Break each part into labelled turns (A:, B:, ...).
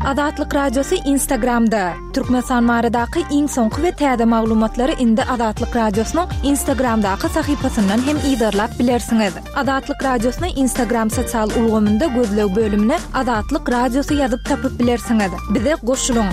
A: Azatlyk Radiosy Instagramda, Türkmenistan baradaky iň soňky we täze maglumatlary indi Azatlyk Radiosynyň Instagramdaky sahypasyndan hem yzarlap bilersiňiz. Azatlyk Radiosyny Instagram sosial ulgamynda gözleg bölümine Azatlyk Radiosy ýazyp tapyp bilersiňiz. Bize goşulyň!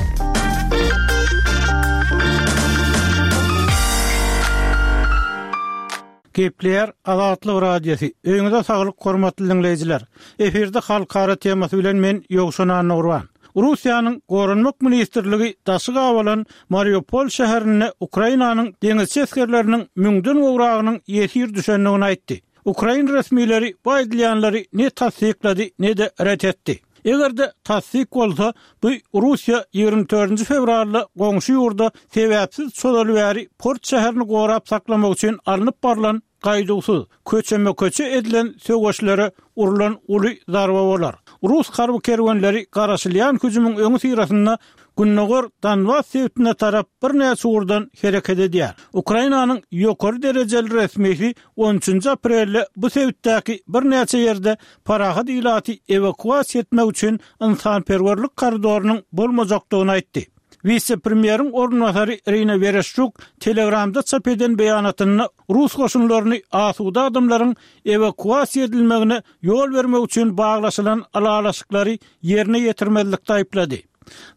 B: Gepleýär Azatlyk Radiosy. Öýüňize saglyk hormatly diňleýjiler. Efirde halkara temasy bilen men Ýowşan Annagurban. Russiýanyň Goranmak ministrligi daşy gabalan Mariupol şäherinde Ukrainanyň deňizçi esgerleriniň müňden gowragynyň ýesir düşendigini aýtdy. Ukrain resmileri bu aýdylýanlary ne tassyklady, ne-de ret etdi. Eger-de tassyk bolsa, bu Russiýa 24-nji fewralda goňşy ýurda sebäpsiz çozaly bäri port şäherini gorap saklamak üçin alnyp barlan gaýduwsyz, köçeme-köçe edilen söweşlere urlan uly zarba bolar. Rus harby kerwenleri garaşylýan hüjümiň öňüsyrasynda gündogar Donbas sebitine tarap birnäçe ugurdan hereket edýär. Ukrainanyň ýokary derejeli resmisi on üçünji aprelde bu sebitdäki birnäçe ýerde parahat ilaty ewakuasiýa etmek üçin ynsanperwerlik koridorynyň bolmajakdygyny aýtdy. Wise-premýeriň orunbasary Irina Wereşçuk Telegramda çap eden beýanatynda rus goşunlaryny asuda adamlaryň ewakuasiýa edilmegine ýol bermek üçin baglaşylan ylalaşyklary ýerine ýetirmezlikde aýyplady.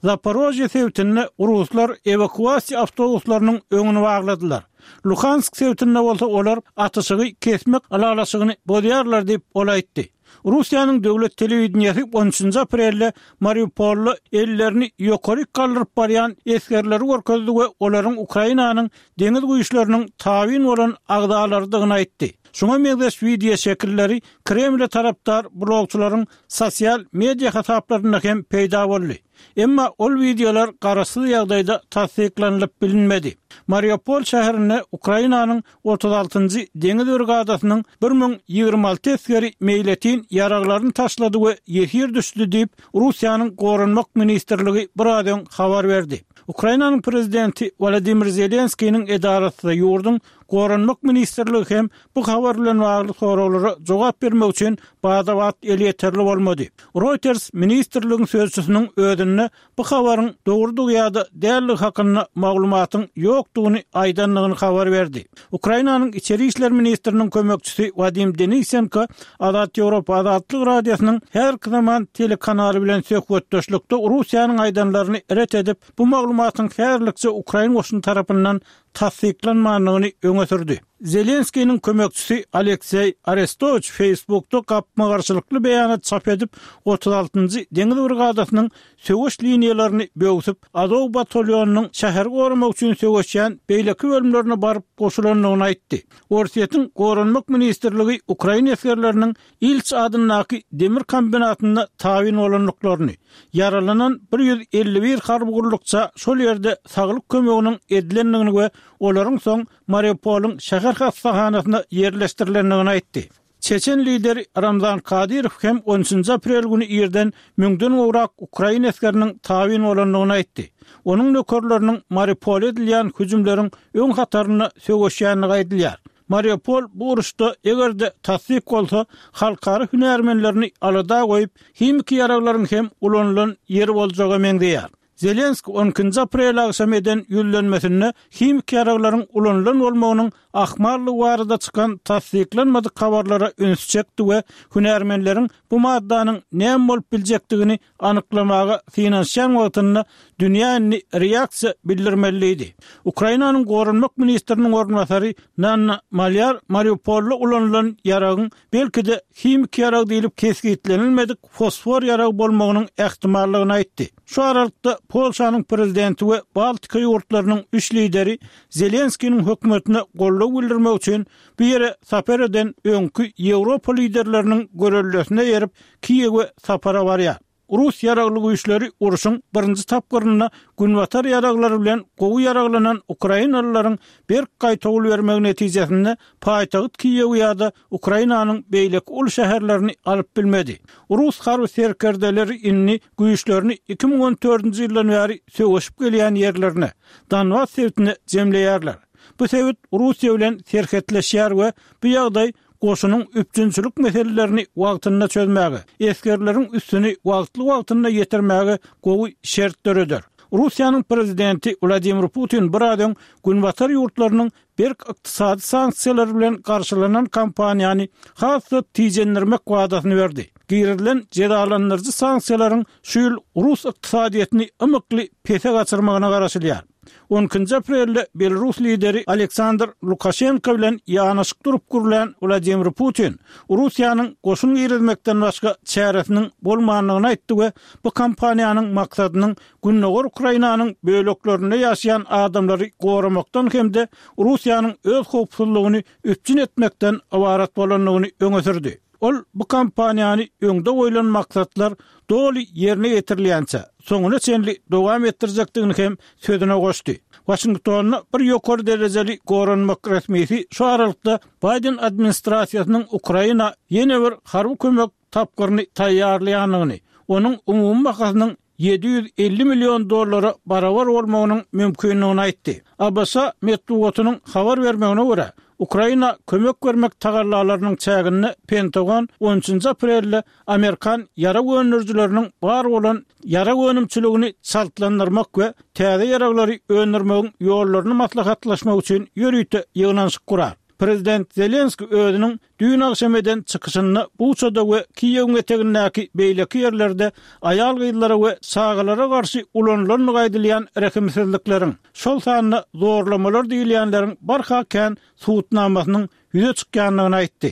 B: Zaporožýe sebitinde ruslar ewakuasiýa awtobuslarynyň öňüni bagladylar. Luhansk sebitinde bolsa olar atyşygy kesmek ylalaşygyny bozýarlar diýip, ol aýtdy. Russiýanyň döwlet telewideniýesi on üçünji aprelde Mariupolda ellerini ýokaryk galdyryp barýan esgerleri görkezdi we olaryň Ukrainanyň deňiz güýçleriniň tabyn bolan agzalarydygyny aýtdy. Şuňa meňzeş wideoşekilleri Kremle tarapdar blogçylaryň sosial media hasaplarynda hem peýda boldy. Emma ol wideolar garaşsyz ýagdaýda tassyklanylyp bilinmedi. Mariupol şäherinde Ukrainanyň 36-njy deňiz brigadasynyň 1026 esgeri meýletin ýaraglaryny taşlady we ýesir düşdi diýip, Russiýanyň Goranmak ministrligi biraz öň habar berdi. Ukrainanyň prezidenti Wolodymyr Zelenskiniň edarasy ýurduň Goranmak ministrligi hem bu habar bilen bagly soraglara jogap bermek üçin bada-bat elýeterli bolmady. Reuters ministrligiň sözçüsiniň özünde bu habaryň dogrudygy ýa-da däldigi hakynda maglumatyň ýokdugyny aýdandygyny habar berdi. Ukrainanyň içeri işler ministriniň kömekçisi Wadim Denisenko Azat Ýewropa Azatlyk Radiosynyň häzirki zaman telekanaly bilen söhbetdeşlikde Russiýanyň aýdanlaryny ret edip, bu maglumatyň häzirlikçe ukrain goşuny tarapyndan tassyklanmandygyny öňe sürdi. Zelenskiniň kömekçisi Alekseý Arestowiç Facebookda gapma-garşylykly beýanat çap edip, 36-njy deňiz brigadasynyň söweş liniýalaryny böwsüp, Azow batalýonynyň şäheri goramak üçin söweşýän beýleki bölümlerine baryp goşulandygyny aýtdy. Orsýetiň Goranmak ministrligi ukrain esgerleriniň Ilç adyndaky demir kombinatynda tabyn bolandyklaryny, ýaralanan 151 harby gullukça şol ýerde saglyk kömeginiň edilendigini we olaryň soň Mariupolyň şäher hassahanasyna ýerleşdirilendigini aýtdy. Çeçen lideri Ramzan Kadyrow hem on üçünji aprel güni irden müňden gowrak ukrain esgeriniň tabyn bolandygyny aýtdy. Onuň nökerleriniň Mariupola edilýän hüjümleriň öň hatarynda söweşýändigi aýdylýar. Mariupol bu uruşda, eger-de tassyk bolsa, halkara hünärmenlerini alada goýup, himiki ýaraglaryň hem ulanylan ýeri boljaga meňzeýär. Zelenskiý on ikinji aprel agşamy eden ýüzlenmesinde himiki ýaraglaryň ulanylan bolmagynyň ahmallygy barada çykan tassyklanmadyk habarlara ünsi çekdi we hünärmenleriň bu maddanyň näme bolup biljekdigini anyklamaga synanyşýan wagtynda dünýä indi reaksiýa bildirmeli diýdi. Ukrainanyň goranmak ministriniň orunbasary Nanna Malýar Mariupolda ulanylan ýaragyň belki-de himiki ýarag diýlip kesgitlenilmedik fosfor ýaragy bolmagynyň ähtimallygyny aýtdy. Şu aralykda Polşanyň prezidenti we Baltika ýurtlarynyň üç lideri Zelenskiniň hökümetine goldaw bildirmek üçin bu ýere sapar eden öňki Ýewropa liderleriniň göreldesine eýerip, Kiýewe sapara barýar. Rus ýaragly güýçleri urşuň birinji tapgyrynda günbatar ýaraglary bilen gowy ýaraglanan ukrainalylaryň berk gaýtawul bermegi netijesinde paýtagt Kiýewi ýa-da Ukrainanyň beýleki uly şäherlerini alyp bilmedi. Rus harby serkerdeleri indi güýçlerini 2014-nji ýyldan bäri söweşip gelýän ýerlerine, Donbas sebitine jemleýärler. Bu sebit Russiýa bilen serhetleşýär we bu ýagdaý. goşunyň üpjünçilik meselelerini wagtynda çözmäge, esgerleriň üstüni wagtly-wagtynda ýetirmäge gowy şert döreder. Russiýanyň prezidenti Wladimir Putin biraz öň Günbatar ýurtlarynyň berk ykdysady sanksiýalar bilen garşylanan kampaniýany has-da tijendirmek wadasyny berdi. Girizilen jezalandyryjy sanksiýalaryň şu ýyl rus ykdysadyýetini ymykly pese gaçyrmagyna garaşylýar. On ikinji aprelde belarus lideri Aleksandr Lukaşenko bilen ýanaşyk durup gürlän Wladimir Putin Russiýanyň goşun girizmekden başga çäresiniň bolmandygyny aýtdy we bu kampaniýanyň maksadynyň Gündogar Ukrainanyň böleklerinde ýaşaýan adamlary goramakdan hem-de Russiýanyň öz howpsuzlygyny üpjün etmekden ybarat bolandygyny öňe sürdi. Ol bu kampaniýany öňde goýlan maksatlar doly ýerine ýetirilýänçä, soňuna çenli dowam etdirjekdigini hem sözüne goşdy. Waşingtonda bir ýokary derejeli goranmak resmisi şu aralykda Baýden administrasiýasynyň Ukraina ýene bir harby kömek tapgyryny taýýarlaýandygyny, onuň umumy bahasynyň 750 million dollara barabar bolmagynyň mümkindigini aýtdy. ABŞ metbugatynyň habar bermegine görä, Ukraina kömek bermek tagallalarynyň çäginde Pentagon on üçünji aprelde amerikan ýarag öndürijileriniň bar bolan ýarag önümçiligini çaltlandyrmak we täze ýaraglary öndürmegiň ýollaryny maslahatlaşmak üçin ýörite ýygnanyşyk gurar. Prezident Zelenski özüniň düýn agşam eden çykyşynda Buçada we Kiýewiň etegindäki beýleki ýerlerde aýal-gyzlara we çagalara garşy ulanylandygy aýdylýan rehimsizlikleriň, şol sanda zorlamalar diýilýänleriň barha kän subutnamasynyň ýüze çykýandygyny aýtdy.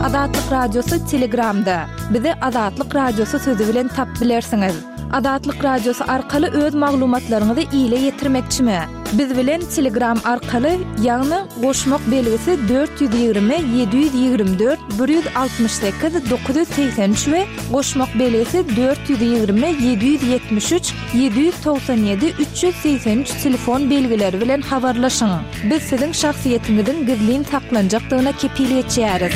A: Azatlyk Radiosy Telegramda. Bizi Azatlyk Radiosy sözi bilen tap bilersiňiz. Azatlyk Radiosy arkaly öz maglumatlaryňyzy ile ýetirmekçimi? Biz bilen Telegram arkaly, ýagny goşmak belgisi 420 724 168 983 we goşmak belgisi 420 773 797 383 telefon belgileri bilen habarlaşyň. Biz siziň şahsyýetiňiziň gizlin saklanjakdygyna kepil geçýäris.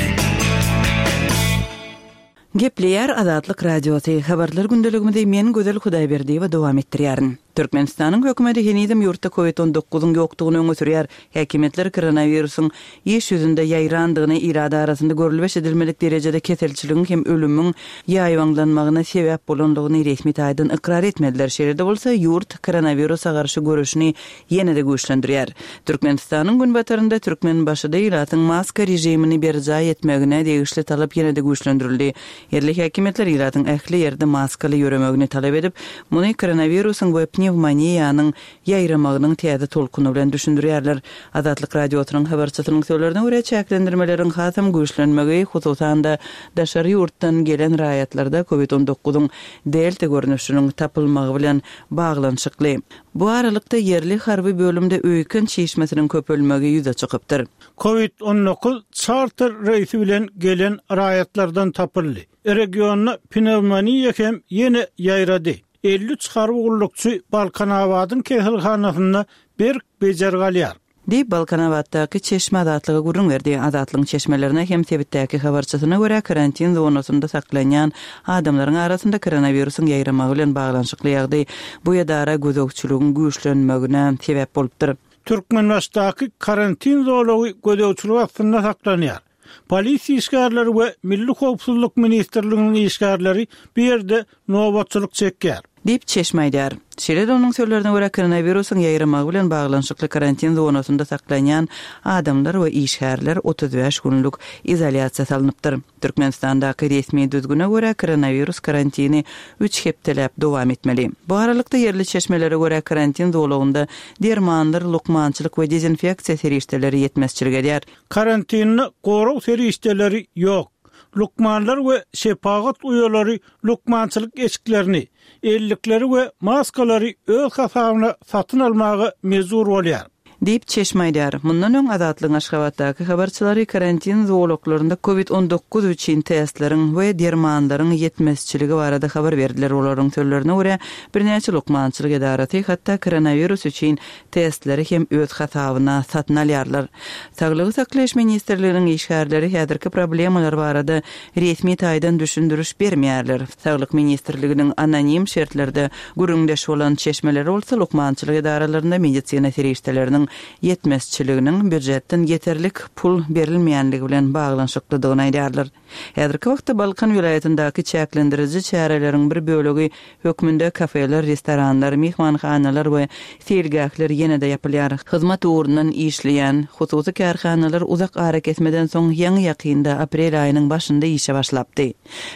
C: Gepleýär Azatlyk Radiosy, Habarlar gündeligimizi men Gözel Hudaýberdiýewa dowam etdirýärin. Türkmenistanyň hökümeti henizem ýurtda Covid on dokuzyň ýokdugyny öňe sürýär. Häkimiýetler koronawirusyň iş ýüzünde ýaýrandygyny, ilat arasynda görlüp-eşidilmedik derejede keselçiligiň hem ölümiň ýaýbaňlanmagyna sebäp bolandygyny resmi taýdan ykrar etmediler. Şeýle-de bolsa, ýurt koronawirusa garşy göreşini ýene-de güýçlendirýär. Türkmenistanyň günbatarynda Türkmenbaşyda ilatyň maska režimini berjaý etmegine degişli talap ýene-de güýçlendirildi. Ýerli häkimiýetler ilatyň ähli ýerde maskaly ýöremegini talap edip, muny koronawirusyň we pnewmoniýanyň ýaýramagynyň täze tolkuny bilen düşündirýärler. Azatlyk Radiosynyň habarçysynyň sözlerine görä, çäklendirmeleriň hasam güýçlenmegi, hususan-da, daşary ýurtdan gelen raýatlarda covid on dokuzyň delta görnüşiniň tapylmagy bilen baglanyşykly. Bu aralykda, ýerli harby bölümde öýken çişmesiniň köpelmegi ýüze çykypdyr.
B: Covid 19 çarter reýsi bilen gelen raýatlardan tapyldy. Regionda pnewmoniýa hem ýene ýaýrady. 53 harby gullukçy Balkanabadyň keselhanasynda berk bejergi alýar.
C: Diýip, Balkanabatdaky çeşme Azatlyga gürrüň berdi. Azatlygyň çeşmelerine hem sebitdäki habarçysyna görä, karantin zonasynda saklanýan adamlaryň arasynda koronawirusyň ýaýramagy bilen baglanyşykly ýagdaý bu edara gözegçiligiň güýçlenmegine sebäp bolupdyr.
B: Türkmenbaşydaky karantin zolagy gözegçilik astynda saklanýar. Polisiýa işgärleri we Milli howpsuzlyk ministrliginiň işgärleri bu ýerde nobatçylyk çekýär.
C: Diýip, çeşme aýdýar. Şeýle-de onuň sözlerine görä, koronawirusyň ýaýramagy bilen baglanyşykly karantin zonasynda saklanýan adamlar we işgärler 35 günlük izolýasiýa salnypdyr. Türkmenistandaky resmi düzgüne görä, koronawirus karantini üç hepdeläp dowam etmeli. Bu aralykda, ýerli çeşmelere görä, karantin zolagynda dermanlar, lukmançylyk we dezinfeksiýa serişdeleri ýetmezçilik edýär.
B: Karantinde gorag serişdeleri ýok. Lukmanlar we şepagat uýalary lukmançylyk eşiklerini, ellikleri we maskalary öz hasabyna satyn almaga mejbur bolýar.
C: Diýip, çeşme aýdýar. Mundan öň Azatlygyň Aşgabatdaky habarçylary karantin zolaklarynda covid 19 üçin testleriň we dermanlaryň ýetmezçiligi barada habar berdiler. Olaryň sözlerine görä, birnäçe lukmançylyk edarasy hatda koronawirus üçin testleri hem öz hasabyna satyn alýarlar. Saglygy saklaýyş ministrliginiň işgärleri häzirki problemalar barada resmi taýdan düşündiriş bermeýärler. Saglyk ministrliginiň anonim şertlerde gürrüňdeş bolan çeşmeleri bolsa lukmançylyk edaralarynda medisina serişdeleriniň. ýetmezçiliginiň býujetden ýeterlik pul berilmeýänligi bilen baglanyşyklydygyny aýdýarlar. Häzirki wagtda Balkan welaýatyndaky çäklendiriji çäreleriň bir bölegi hökmünde kafeler, restoranlar, myhmanhanalar we seýilgähler ýene-de ýapylýar. Hyzmat ugrundan işleýän hususy kärhanalar uzak arakesmeden soň ýaňy-ýakynda, aprel aýynyň başynda işe başlapdy.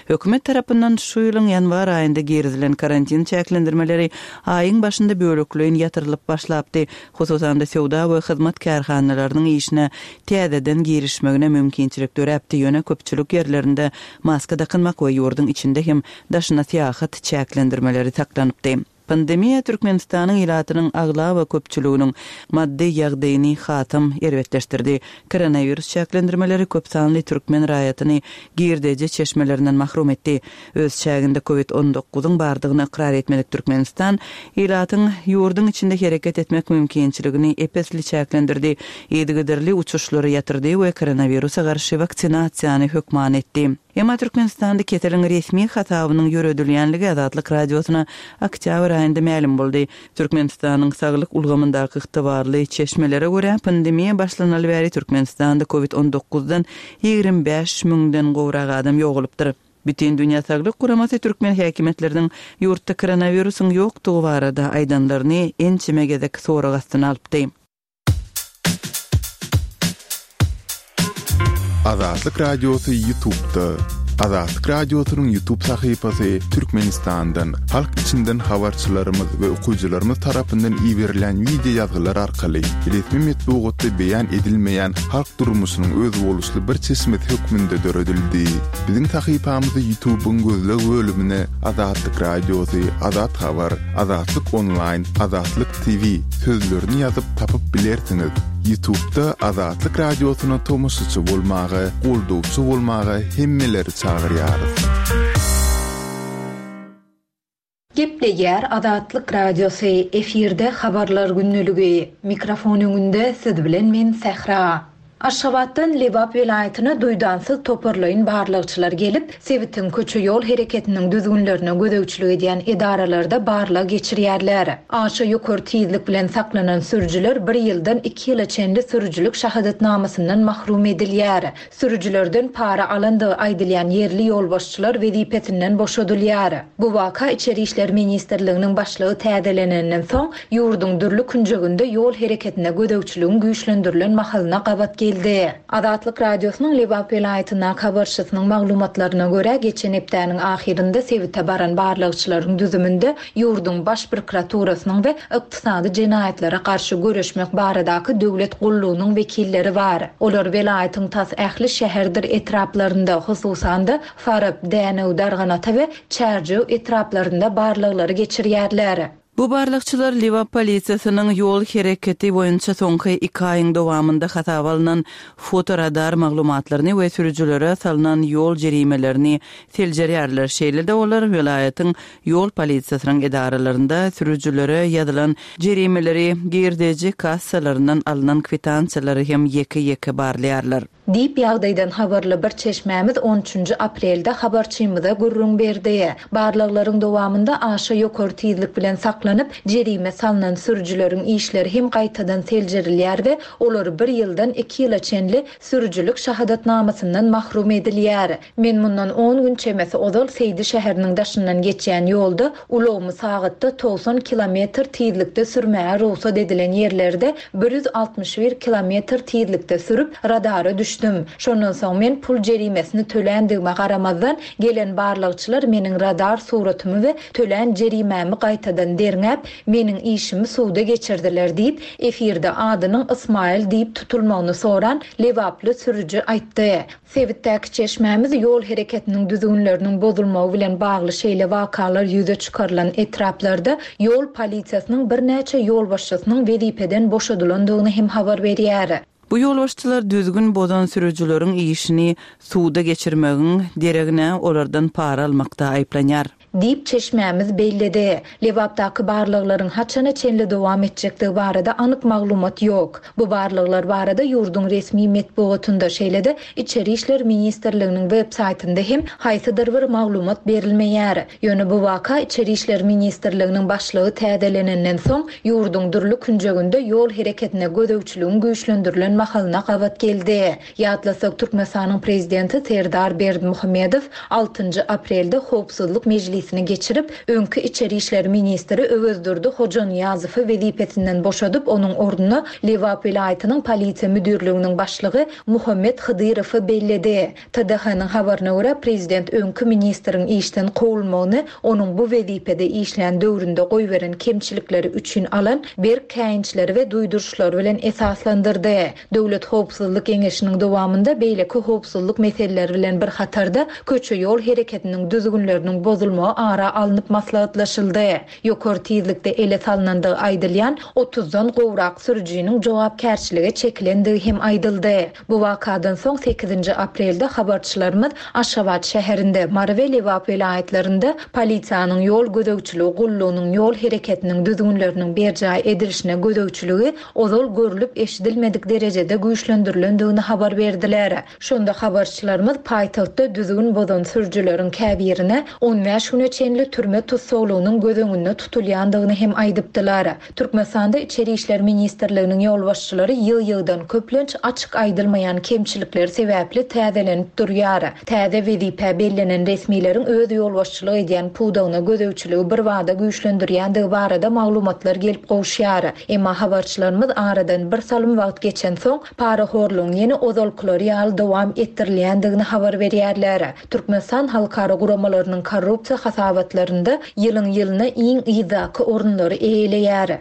C: Hökümet tarapyndan şu ýylyň ýanwar aýynda girizilen karantin çäklendirmeleri aýyň başynda bölekleýin ýatyrylyp başlapdy, hususan-da söwda we hyzmat kärhanalarynyň işine täzeden girişmegine mümkinçilik döräpdi, ýöne köpçülik ýerlerinde maska dakynmak we ýurduň içinde hem daşyna syýahat çäklendirmeleri saklanypdy. Pandemiýa Türkmenistanyň ilatynyň aglaba köpçüliginiň maddy ýagdaýyny hasam erbetleşdirdi. Koronawirus çäklendirmeleri köp sanly türkmen raýatyny girdeji çeşmelerinden mahrum etdi. Öz çäginde Covid on dokuzyň bardygyny ykrar etmedik Türkmenistan ilatyň ýurduň içinde hereket etmek mümkinçiligini ep-esli çäklendirdi, yzygiderli uçuşlary ýatyrdy we koronawirusa garşy waksinasiýany hökman etdi. Emma Türkmenistanda keseliň resmi hasabynyň ýöredilýänligi Azatlyk Radiosyna oktýabr aýynda mälim boldy. Türkmenistanyň saglyk ulgamyndaky ygtybarly çeşmelere görä, pandemiýa başlanaly bäri Türkmenistanda covid on dokuzdan 25 müňden gowrak adam ýogalypdyr. Bütindünýä saglyk guramasy türkmen häkimiýetleriniň ýurtda koronawirusyň ýokdugy barada aýdanlaryny ençeme gezek sorag astyna alypdy.
D: Azatlyk Radiosy YouTube'da. Azatlyk Radiosynyň YouTube sahypasy Türkmenistandan, halk içinden habarçylarymyz we okyjylarymyz tarapyndan iberilen wideo ýazgylar arkaly resmi metbugatda beýan edilmeýän halk durmuşynyň özboluşly bir çeşmesi hökmünde döredildi. Biziň sahypamyzy YouTube'yň gözleg bölümine Azatlyk Radiosy, Azat Habar, Azatlyk Onlaýn, Azatlyk TV sözlerini ýazyp tapyp bilersiňiz. Ýutubda Azatlyk Radiosyna tomaşaçy bolmaga, goldawçy bolmaga hemmeleri çagyrýarys.
A: Gepleýär Azatlyk Radiosy, efirde Habarlar gündeligi. Mikrofon öňünde siz bilen men Sähra. Aşgabatdan Lebap welaýatyna duýdansyz toparlaýyn barlagçylar gelip, sebitiň köçe-ýol hereketiniň düzgünlerine gözegçilik edýän edaralarda barlag geçirýärler. Aşa ýokary tizlik bilen saklanan sürüjiler bir ýyldan iki ýyla çenli sürüjilik şahadatnamasyndan mahrum edilýär. Sürüjilerden para alandygy aýdylýan ýerli ýolbaşçylar wezipesinden boşadylýar. Bu waka Içeri işler ministrliginiň başlygy täzelenenden soň, ýurduň dürli künjeginde ýol hereketine gözegçiligiň güýçlendirilen mahalyna gabat geldi. Azatlyk Radiosynyň Lebap welaýatyndaky habarçysynyň maglumatlaryna görä, geçen hepdäniň ahyrynda sebite baran barlagçylaryň düzüminde ýurduň Baş prokuraturasynyň we Ykdysady jenaýatlara garşy göreşmek baradaky döwlet gullugynyň wekilleri bar. Olar welaýatyň tas ähli şäherdir etraplarynda, hususan-da, Farap, Dänew, Darganata we Çärjew etraplarynda barlaglary geçirýärler.
C: Bu barlagçylar Lebap polisiýasynyň ýol hereketi boýunça soňky iki aýyň dowamynda hasaba alnan fotoradar maglumatlaryny we sürüjilere salnan ýol jerimelerini seljerýärler. Şeýle-de olar welaýatyň ýol polisiýasynyň edaralarynda sürüjilere ýazylan jerimeleri, girdeji kassalaryndan alnan kwitansiýalary hem ýeke-ýeke barlaýarlar.
A: Diýip, ýagdaýdan habarly bir çeşmämiz on üçünji aprelde habarçymyza gürrüň berdi. Barlaglaryň dowamynda aşa ýokary tizlik bilen saklanyp, jerime salnan sürüjileriň işleri hem gaýtadan seljerilýär we olar bir ýyldan iki ýyla çenli sürüjilik şahadatnamasyndan mahrum edilýär. Men mundan on gün çemesi ozal Seýdi şäheriniň daşyndan geçýän ýolda ulagymy sagatda 90 kilometr tizlikde sürmäge rugsat edilen ýerlerde 161 kilometr tizlikde sürüp, radara düşdüm. Şondan soň men pul jerimesini töländigime garamazdan, gelen barlagçylar meniň radar suratymy we tölän jerimämi gaýtadan derňäp, meniň işimi suda geçirdiler diýip, efirde adynyň Ysmaýyl diýip tutulmagyny soran lebaply sürüji aýtdy. Sebitdäki çeşmämiz ýol hereketiniň düzgünleriniň bozulmagy bilen bagly şeýle wakalar ýüze çykarylan etraplarda ýol polisiýasynyň birnäçe ýolbaşçysynyň wezipeden boşadylandygyny hem habar berýär.
C: Bu ýolbaşçylar düzgün bozan sürüjileriň işini suda geçirmegiň deregine olardan para almakda aýyplanýar.
A: Diýip, çeşmämiz belledi. Lebapdaky barlaglaryň haçana çenli dowam etjekdigi barada anyk maglumat ýok. Bu barlaglar barada ýurduň resmi metbugatynda, şeýle-de Içeri işler ministrliginiň web saýtynda hem haýsydyr bir maglumat berilmeýär. Ýöne bu waka Içeri işler ministrliginiň başlygy täzelenenden soň, ýurduň dürli künjeginde ýol hereketine gözegçiligiň güýçlendirilen mahalyna gabat geldi. Ýatlasak, Türkmenistanyň Prezidenti Serdar Berdimuhamedow altynjy aprelde Howpsuzlyk mejlisini geçirip, öňki içeri işler ministri Öwezdurdy Hojanyýazowy wezipesinden boşadyp, onuň ornuna Lebap welaýatynyň Polisiýa müdirliginiň başlygy Muhammet Hydyrowy belledi. TDH-nyň habaryna görä, prezident öňki ministriň işden kowulmagyny onuň bu wezipede işlän döwründe goýberen kemçilikleri üçin alan berk käýinçleri we duýduryşlary bilen esaslandyrdy. Döwlet howpsuzlyk geňeşiniň dowamynda beýleki howpsuzlyk meseleleri bilen bir hatarda, köçe-ýol hereketiniň düzgünleriniň bozulmagy ara alnyp maslahatlaşyldy. Ýokary tizlikde ele salnandygy aýdylýan otuzdan gowrak sürüjiniň jogapkärçilige çekilendigi hem aýdyldy. Bu wakadan soň sekizinji aprelde habarçylarymyz Aşgabat şäherinde, Mary we Lebap welaýatlarynda polisiýanyň ýol gözegçiligi gullugynyň ýol hereketiniň düzgünleriniň berjaý edilişine gözegçiligi ozal görlüp-eşidilmedik derejede güýçlendirilendigini habar berdiler. Şonda habarçylarymyz paýtagtda düzgün bozan sürüjileriň käbirine on bäş güne çenli türme tussaglygynyň göz öňünde tutulýandygyny hem aýdypdylar. Türkmenistanda Içeri işler ministrliginiň ýolbaşçylary ýygy-ýygydan köplenç açyk aýdylmaýan kemçilikleri sebäpli täzelenip durýar. Täze wezipä bellenen resmileriň öz ýolbaşçylyk edýän pudagyna gözegçiligi birbada güýçlendirýändigi barada maglumatlar gelip gowuşýar. Emma habarçylarymyz aradan bir salym wagt geçensoň, parahorlugyň ýene ozalkylary ýaly dowam etdirilýändigini habar berýärler. Türkmenistan halkara guramalarynyň korrupsiýa hasabatlarynda ýylyň-ýylyna iň yzdaky orunlary eýeleýär.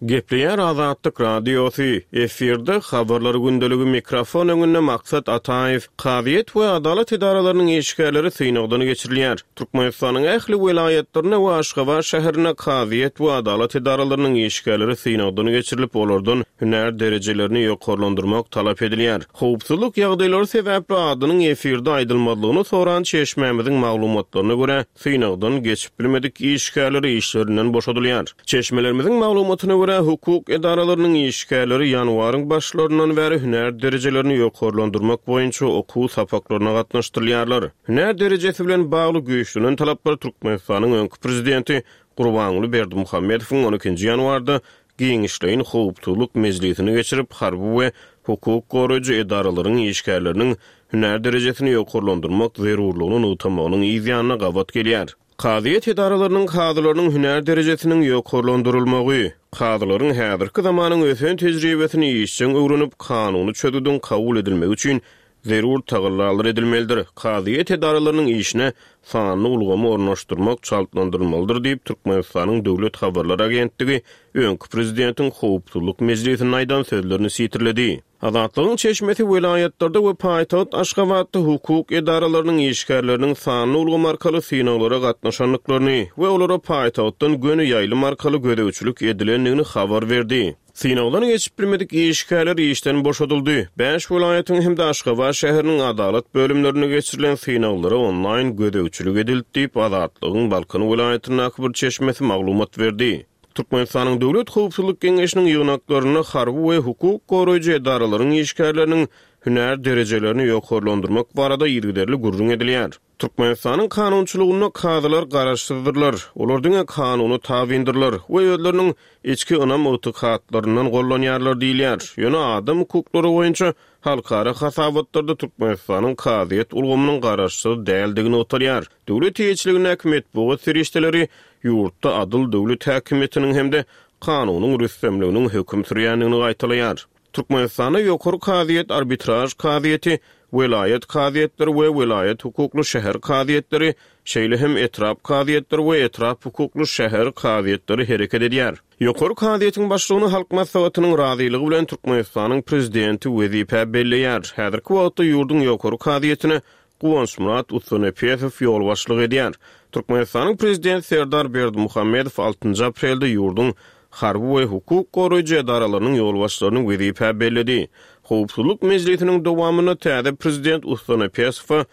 E: Gepleýär Azatlyk Radiosy, efirde Habarlar gündeligi mikrofon öňünde Maksat Ataýew. Kazyýet we adalat edaralarynyň işgärleri synagdan geçirilýär. Türkmenistanyň ähli welaýatlarynda we Aşgabat şäherinde kazyýet we adalat edaralarynyň işgärleri synagdan geçirilip, olardan hünär derejelerini ýokarlandyrmak talap edilýär. Howpsuzlyk ýagdaýlary sebäpli adynyň efirde aýdylmazlygyny soran çeşmämiziň maglumatlaryna görä, synagdan geçip bilmedik işgärler işlerinden boşadylýar. Çeşmelerimiziň maglumatyna görä, hukuk edaralarynyň işgärleri ýanwaryň başlaryndan bäri hünär derejelerini ýokarlandyrmak boýunça okuw sapaklaryna gatnaşdyrylýarlar. Hünär derejesi bilen bagly güýçlenen talaplar Türkmenistanyň öňki prezidenti Gurbanguly Berdimuhamedowyň on ikinji ýanwarda giňişleýin howpsuzlyk mejlisini geçirip, harby we hukuk goraýjy edaralaryň işgärleriniň hünär derejesini ýokarlandyrmak zerurlygyny nygtamagynyň yz ýanyna gabat gelýär. Kazyýet edaralarynyň kazylarynyň hünär derejesiniň ýokarlandyrylmagy, kazylaryň häzirki zamanyň ösen tejribesini işjeň öwrenip, kanuny çözgüdiň kabul edilmegi üçin zerur tagallalar edilmelidir, kazyýet edaralarynyň işine sanly ulgamy ornaşdyrmak çaltlandyrylmalydyr diýip, Türkmenistanyň Döwlet habarlar agentligi öňki prezidentiň Howpsuzlyk mejlisinde aýdan sözlerini sitirledi. Azatlygyň çeşmesi welaýatlarda we paýtagt Aşgabatda hukuk edaralarynyň işgärleriniň sanly ulgam arkaly synaglara gatnaşandyklaryny we olara paýtagtdan göni ýaýlym arkaly gözegçilik edilendigini habar berdi. Synagdan geçip bilmedik işgärler işden boşadyldy. Bäş welaýatyň hem-de Aşgabat şäheriniň adalat bölümlerinde geçirilen synaglara onlaýn gözegçilik edildi diýip, Azatlygyň Balkan welaýatyndaky bir çeşmesi maglumat berdi. Türkmenistanyň Döwlet howpsuzlyk geňeşiniň ýygnaklarynda harby we hukuk goraýjy edaralaryň işgärleriniň hünär derejelerini ýokarlandyrmak barada yzygiderli gürrüň edilýär. Türkmenistanyň kanunçylygynda kazylar garaşsyzdyrlar, olar diňe kanuna tabyndyrlar we özleriniň içki ynam-ygtykatlaryndan gollanýarlar diýilýär. Ýöne adam hukuklary boýunça halkara hasabatlarda Türkmenistanyň kazyýet ulgamynyň garaşsyz däldigi nygtalýar. Döwlet eýeçiligindäki metbugat serişdeleri ýurtda adyl döwlet häkimiýetiniň hem-de kanunyň rüstemliginiň höküm sürýändigini gaýtalaýar. Türkmenistanda Ýokary kazyýet, arbitraž kazyýeti, welaýat kazyýetleri we welaýat hukukly şäher kazyýetleri, şeýle hem etrap kazyýetleri we etrap hukukly şäher kazyýetleri hereket edýär. Ýokary kazyýetiň başlygyny Halk Maslahatynyň razylygy bilen Türkmenistanyň Prezidenti wezipä belleýär. Häzirki wagtda ýurduň Ýokary kazyýetine Guwançmyrat Ussanepesow ýolbaşçylyk edýär. Türkmenistanyň Prezidenti Serdar Berdimuhamedow altynjy aprelde ýurduň harby we hukuk goraýjy edaralarynyň ýolbaşçylaryny wezipä belledi. Howpsuzlyk mejlisiniň dowamynda täze Prezident Ussanepesowa.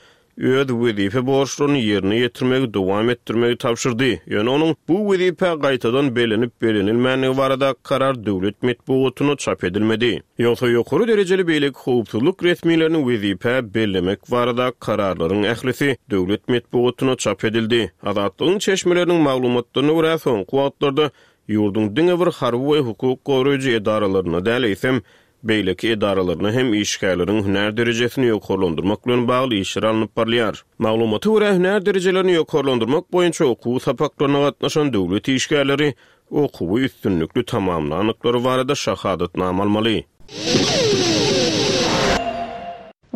E: öz wezipe borçlaryny ýerine ýetirmegi dowam etdirmegi tabşyrdy. Ýöne onuň bu wezipä gaýtadan bellenip-bellenilmändigi baradaky karar döwlet metbugatynda çap edilmedi. Ýogsa ýokary derejeli beýleki howpsuzlyk resmilerini wezipä bellemek baradaky kararlaryň ählisi döwlet metbugatynda çap edildi. Azatlygyň çeşmeleriniň maglumatlaryna görä, soňky wagtlarda ýurduň diňe bir harby we hukuk goraýjy edaralarynda däl, eýsem, beýleki edaralarynda hem işgärleriň hünär derejesini ýokarlandyrmak bilen bagly işler alnyp barylýar. Maglumata görä, hünär derejelerini ýokarlandyrmak boýunça okuw sapaklaryna gatnaşan döwlet işgärleri okuwy üstünlikli tamamlandyklary barada şahadatnama almaly.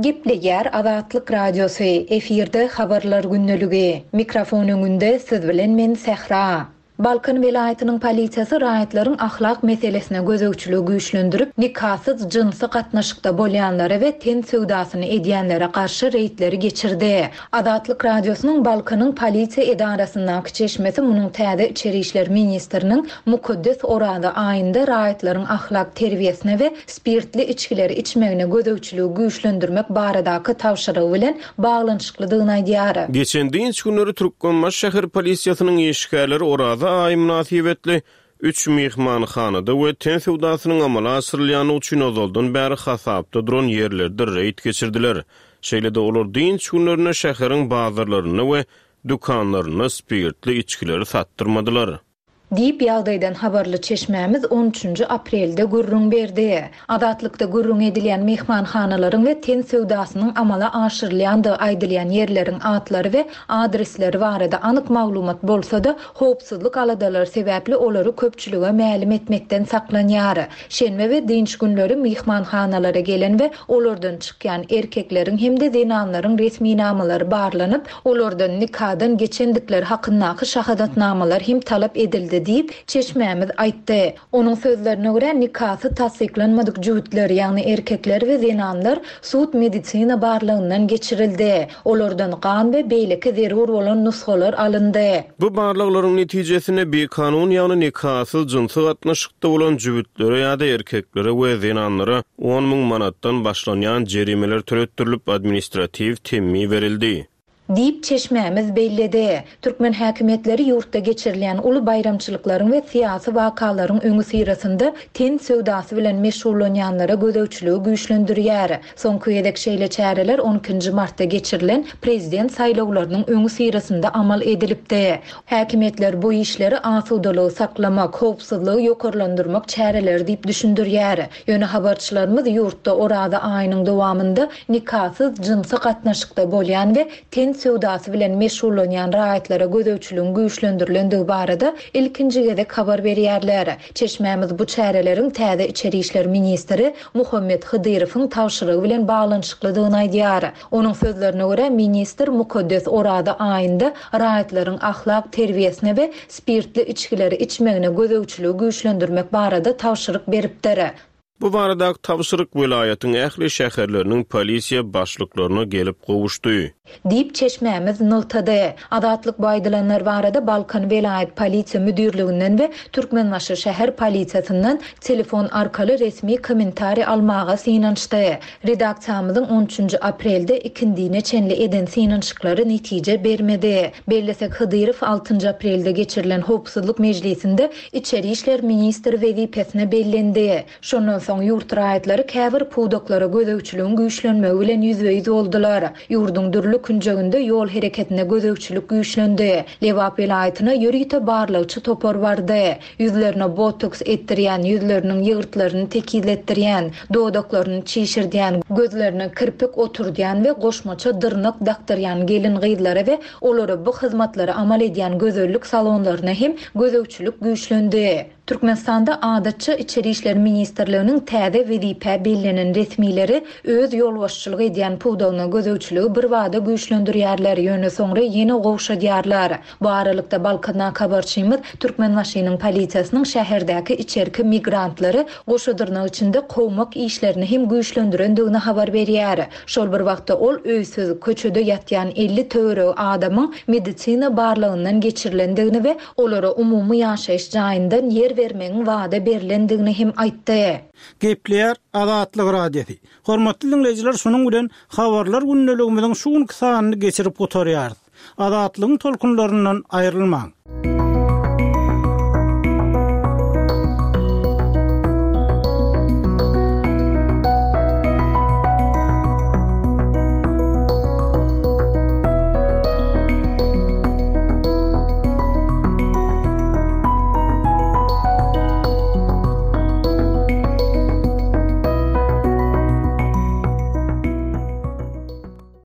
A: Gepleýär Azatlyk Radiosy, efirde Habarlar gündeligi. Mikrofon öňünde siz bilen men Sähra. Balkan welaýatynyň polisiýasy raýatlaryň ahlak meselesine gözegçiligi güýçlendirip, nikasyz jynsy gatnaşykda bolýanlara we ten söwdasyny edýänlere garşy reýdleri geçirdi. Azatlyk Radiosynyň Balkanyň polisiýa edarasyndaky çeşmesi munuň täze içeri işler ministriniň mukaddes Oraza aýynda raýatlaryň ahlak terbiýesine we spirtli içgileri içmegine gözegçiligi güýçlendirmek baradaky tabşyrygy bilen baglanyşyklydygyny aýdýar.
E: Geçen dynç günleri Türkmenbaşy şäher polisiýasynyň işgärleri Oraza aýy mynasybetli üç myhmanhanada we ten söwdasynyň amala aşyrylýandygy üçin ozaldan bäri hasapda duran ýerlerde reýd geçirdiler. Şeýle-de olar dynç günlerinde şäheriň bazarlarynda we dükanlarynda spirtli içgileri satdyrmadylar.
A: Diýip, ýagdaýdan habarly çeşmämiz on üçünji aprelde gürrüň berdi. Azatlykda gürrüňi edilýän myhmanhanalaryň we ten söwdasynyň amala aşyrylýandygy aýdylýan ýerleriň atlary we adresleri barada anyk maglumat bolsa-da, howpsuzlyk aladalary sebäpli olary köpçülige mälim etmekden saklanýar. Şenbe we dynç günleri myhmanhanalara gelen we olardan çykýan erkekleriň hem-de zenanlaryň resminamalary barlanyp, Olardan nikadan geçendikleri hakyndaky şahadatnamalar hem talap edildi diýip, çeşmämiz aýtdy. Onuň sözlerine görä, nikasy tassyklanmadyk jübütler, ýagny erkekler we zenanlar sud-medisina barlagyndan geçirildi. Olardan gan we beýleki zerur bolan nusgalar alyndy.
E: Bu barlaglaryň netijesinde bikanun, ýagny nikasyz jynsy gatnaşykda bolan jübütlere ýa-da erkeklere we zenanlara 10 mün manatdan başlanýan jerimeler töletdirilip, administratiw temmi berildi.
A: Diýip, çeşmämiz belledi. Türkmen häkimiýetleri ýurtda geçirilýän uly baýramçylyklaryň we syýasy wakalaryň öňüsyrasynda ten söwdasy bilen meşgullanýanlara gözegçiligi güýçlendirýär. Soňky gezek şeýle çäreler on ikinji martda geçirilen prezident saýlawlarynyň öňüsyrasynda amal edilipdi. Häkimiýetler bu işleri asudalygy saklamak, howpsuzlygy ýokarlandyrmak çäreleri diýip düşündirýär. Ýöne habarçylarymyz ýurtda Oraza aýynyň dowamynda nikasyz jynsy gatnaşykda bolýan we ten söwdasy bilen meşgullanýan raýatlara gözegçiligiň güýçlendirilendigi barada ilkinji gezek habar berýärler. Çeşmämiz bu çäreleriň täze içeri işler ministri Muhammet Hydyrowyň tabşyrygy bilen baglanyşyklydygyny aýdýar. Onuň sözlerine görä, ministr mukaddes Oraza aýynda raýatlaryň ahlak terbiýesine we spirtli içgileri içmegine gözegçiligi güýçlendirmek barada tabşyryk beripdir.
E: Bu baradaky tabşyryk welaýatyň ähli şäherleriniň polisiýa başlyklaryna gelip gowuşdy.
A: Diýip, çeşmämiz nygtady. Azatlyk bu aýdylanlar barada Balkan welaýat polisiýa müdirliginden we Türkmenbaşy şäher polisiýasyndan telefon arkaly resmi kommentariý almaga synanyşdy. Redaksiýamyzyň on üçünji aprelde ikindine çenli eden synanyşyklary netije bermedi. Bellesek, Hydyrow altynjy aprelde geçirilen howpsuzlyk mejlisinde içeri işler ministri wezipesine bellendi. Şondan soň ýurt raýatlary käbir pudaklara gözegçiligiň güýçlenmegi bilen ýüzbe-ýüz boldular. Ýurduň dürli künjeginde ýol hereketine gözegçilik güýçlendi. Lebap welaýatyna ýörite barlagçy topar bardy. Ýüzlerine botoks etdirýän, ýüzleriniň ýygyrtlaryny tekizletdirýän, dodaklaryny çişirdýän, gözlerine kirpik oturdýan we goşmaça dyrnak dakdyrýan gelin-gyzlara we olara bu hyzmatlary amal edýän gözellik salonlaryna hem gözegçilik güýçlendi. Türkmenistanda adatça Içeri işler ministrliginiň täze wezipä bellenen resmileri öz ýolbaşçylyk edýän pudagyna gözegçiligi birbada güýçlendirýärler, ýöne soňra ýene gowşadýarlar. Bu aralykda, Balkandaky habarçymyz Türkmenbaşynyň polisiýasynyň şäherdäki içerki migrantlary goşa dyrnak içinde kowmak işlerini hem güýçlendirendigini habar berýär. Şol bir wagtda, ol öýsüz, köçede ýatýan 50 töweregi adamyň medisina barlagyndan geçirilendigini we olara umumy ýaşaýyş jaýyndan ýer. ýer bermegiň wada berlendigini hem aýtdy.
B: Gepleýär Azatlyk Radiosy. Hormatly diňleýjiler şunuň bilen Habarlar gündeligimiziň şu günki sanyny geçirip gutarýarys. Azatlygyň tolkunlaryndan aýrylmaň.